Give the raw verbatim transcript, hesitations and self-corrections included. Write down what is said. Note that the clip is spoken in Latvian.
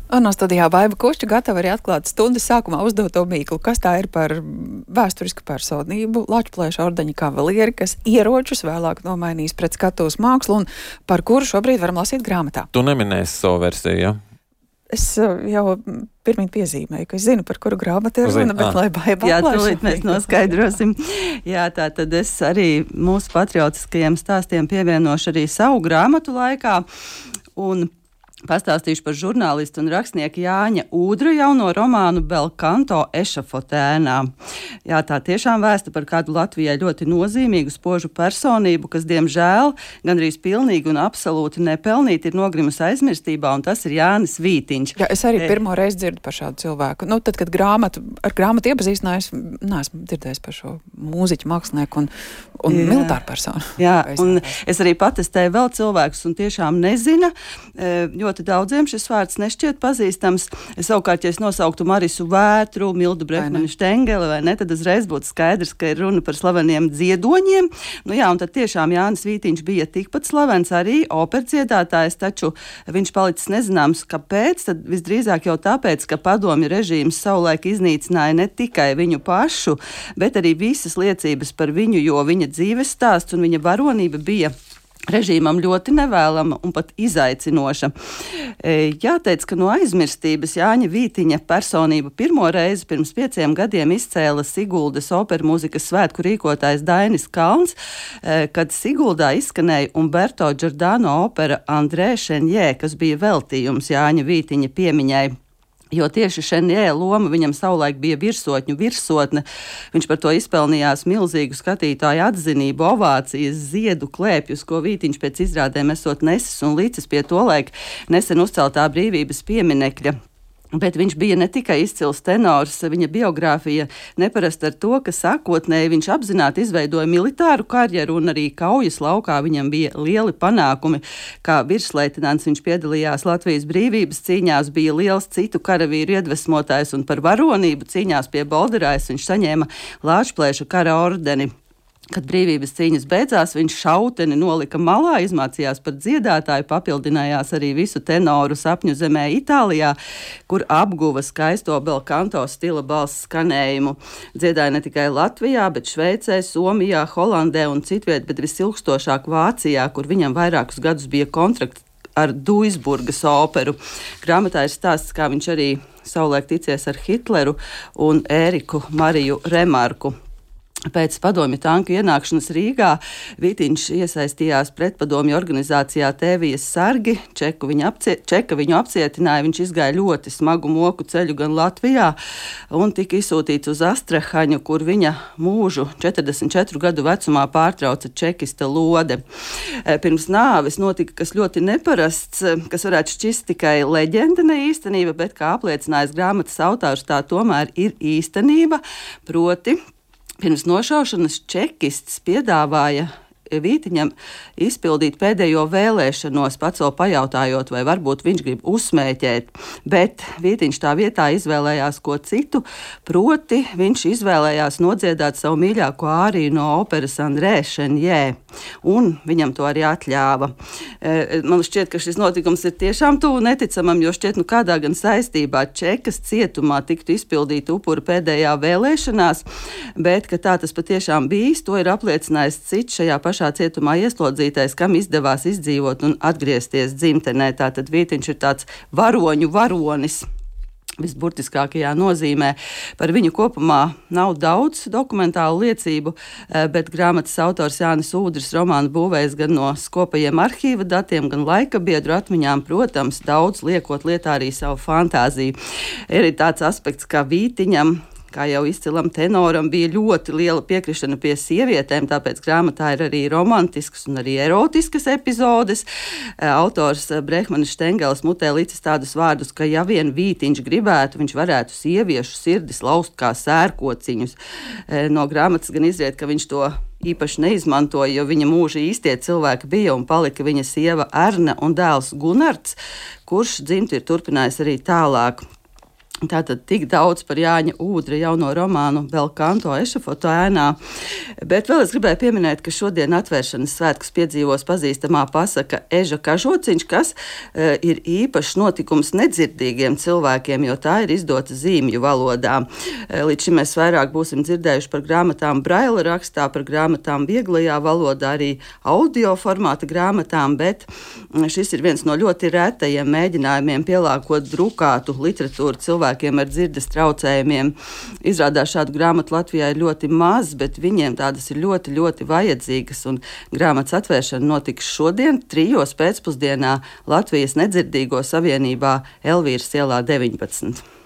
Un no studijā Baiba Kušķa gatava arī atklāt stundas sākumā uzdoto mīklu. Kas tā ir par vēsturisku personību, Lačplēša ordeņa kavalieri, kas ieročus vēlāk nomainīs pret skatuves mākslu un par kuru šobrīd varam lasīt grāmatā? Tu neminēsi savu versiju, ja? Es jau pirmīt piezīmēju, ka es zinu, par kuru grāmatu ir runa, bet ah. lai Baiba Jā, tūlīt mēs noskaidrosim. Jā, tā tad es arī mūsu patriotiskajiem stāstiem pievienošu arī savu grāmatu laikā. Un pastāstīšu par žurnālistu un rakstnieku Jāņa Ūdra jauno romānu Belkanto ešafotēnā. Jā, tā tiešām vēsta par kādu Latvijai ļoti nozīmīgu spožu personību, kas, diemžēl, gandrīz pilnīgi un absolūti nepelnīti ir nogrimusi aizmirstībā, un tas ir Jānis Vītiņš. Jā, es arī pirmo reizi dzirdu par šādu cilvēku. Nu, tad, kad grāmatu, ar grāmatu iepazīstinājos, neesmu dzirdējis par šo mūziķu, mākslinieku un, un militāru personu. Jā, un es arī patestēju vēl cilvēkus un tiešām nezina, jo ļoti daudziem šis vārds nešķiet pazīstams. Savukārt, ja es nosauktu Marisu Vētru, Mildu Brehmanu Štengeli, vai ne, tad uzreiz būtu skaidrs, ka ir runa par slaveniem dziedoņiem. Nu jā, un tad tiešām Jānis Vītiņš bija tikpat slavens arī operdziedātājs, taču viņš palicis nezināms, kāpēc, tad visdrīzāk jau tāpēc, ka padomju režīms savulaik iznīcināja ne tikai viņu pašu, bet arī visas liecības par viņu, jo viņa dzīves stāsts un viņa varonība bija režīmam ļoti nevēlama un pat izaicinoša. Jāteic, ka no aizmirstības Jāņa Vītiņa personību pirmo reizi pirms pieciem gadiem izcēla Siguldas operu mūzikas svētku rīkotājs Dainis Kalns, kad Siguldā izskanēja Umberto Giordano opera Andrē Šenjē, kas bija veltījums Jāņa Vītiņa piemiņai. Jo tieši Šenjē loma viņam savulaik bija virsotņu virsotne. Viņš par to izpelnījās milzīgu skatītāju atzinību, ovācijas, ziedu klēpjus, ko Vītiņš pēc izrādēm esot nesis un līdzis pie tolaik nesen uzceltā brīvības pieminekļa. Bet viņš bija ne tikai izcils tenors, viņa biogrāfija neparasta ar to, ka sākotnēji viņš apzināti izveidoja militāru karjeru un arī kaujas laukā viņam bija lieli panākumi. Kā virsleitenants viņš piedalījās Latvijas brīvības cīņās, bija liels citu karavīru iedvesmotājs un par varonību cīņās pie Bolderājas viņš saņēma Lačplēša kara ordeni. Kad brīvības cīņas beidzās, viņš šauteni nolika malā, izmācījās par dziedātāju, papildinājās arī visu tenoru sapņu zemē Itālijā, kur apguva skaisto Belkanto stila balss skanējumu. Dziedāja ne tikai Latvijā, bet Šveicē, Somijā, Holandē un citviet, bet visilgstošāk Vācijā, kur viņam vairākus gadus bija kontrakts ar Duisburgas operu. Grāmatā ir stāsts, kā viņš arī savulaik ticies ar Hitleru un Ēriku Mariju Remarku. Pēc padomju tanku ienākšanas Rīgā Vītiņš iesaistījās pretpadomju organizācijā Tēvijas sargi, Čeku viņu apcie, Čeka viņu apcietināja, viņš izgāja ļoti smagu moku ceļu gan Latvijā un tika izsūtīts uz Astrahaņu, kur viņa mūžu četrdesmit četru gadu vecumā pārtrauca čekista lode. Pirms nāves notika kas ļoti neparasts, kas varētu šķist tikai leģenda, ne īstenība, bet kā apliecinājis grāmatas autors, tā tomēr ir īstenība, proti pirms nošaušanas čekists piedāvāja Vītiņam izpildīt pēdējo vēlēšanos, pats vēl pajautājot, vai varbūt viņš grib uzsmēķēt, bet Vītiņš tā vietā izvēlējās ko citu, proti viņš izvēlējās nodziedāt savu mīļāko āriju no operas Andrē Šenjē, un viņam to arī atļāva. Man šķiet, ka šis notikums ir tiešām tuvu neticamam, jo šķiet, nu kādā gan saistībā Čekas cietumā tiktu izpildīt upuru pēdējā vēlēšanās, bet, ka tā tas patiešām bijis, to ir apliecinājis cits šajā pašā šā cietumā ieslodzītais, kam izdevās izdzīvot un atgriezties dzimtenē. Tātad Vītiņš ir tāds varoņu varonis visburtiskākajā nozīmē. Par viņu kopumā nav daudz dokumentālu liecību, bet grāmatas autors Jānis Ūdris romānu būvējis gan no skopajiem arhīva datiem, gan laika biedru atmiņām, protams, daudz liekot lietā arī savu fantāziju. Ir arī tāds aspekts, kā Vītiņam, kā jau izcilam tenoram, bija ļoti liela piekrišana pie sievietēm, tāpēc grāmatā ir arī romantiskas un arī erotiskas epizodes. Autors Brehmanis Štengelis mutē licis tādus vārdus, ka ja vien Vītiņš gribētu, viņš varētu sieviešu sirdis laust kā sērkociņus. No grāmatas gan izriet, ka viņš to īpaši neizmantoja, jo viņa mūža īstie cilvēki bija un palika viņa sieva Erna un dēls Gunards, kurš dzimti ir turpinājis arī tālāk. Tātad tik daudz par Jāņa Ūdra jauno romānu Belkanto ešafotu ēnā. Bet vēl es gribēju pieminēt, ka šodien atvēršanas svētkus piedzīvos pazīstamā pasaka Eža kažociņš, kas e, ir īpašs notikums nedzirdīgiem cilvēkiem, jo tā ir izdota zīmju valodā. E, līdz šim mēs vairāk būsim dzirdējuši par grāmatām braila rakstā, par grāmatām vieglajā valodā, arī audio formāta grāmatām, bet šis ir viens no ļoti retajiem mēģinājumiem pielāgot drukātu literatūru cilvēkiem ar dzirdes traucējumiem. Izrādās šādu grāmatu Latvijā ir ļoti maz, bet viņiem tādas ir ļoti, ļoti vajadzīgas, un grāmatas atvēršana notiks šodien, trijos pēcpusdienā Latvijas nedzirdīgo savienībā Elvīras ielā deviņpadsmit.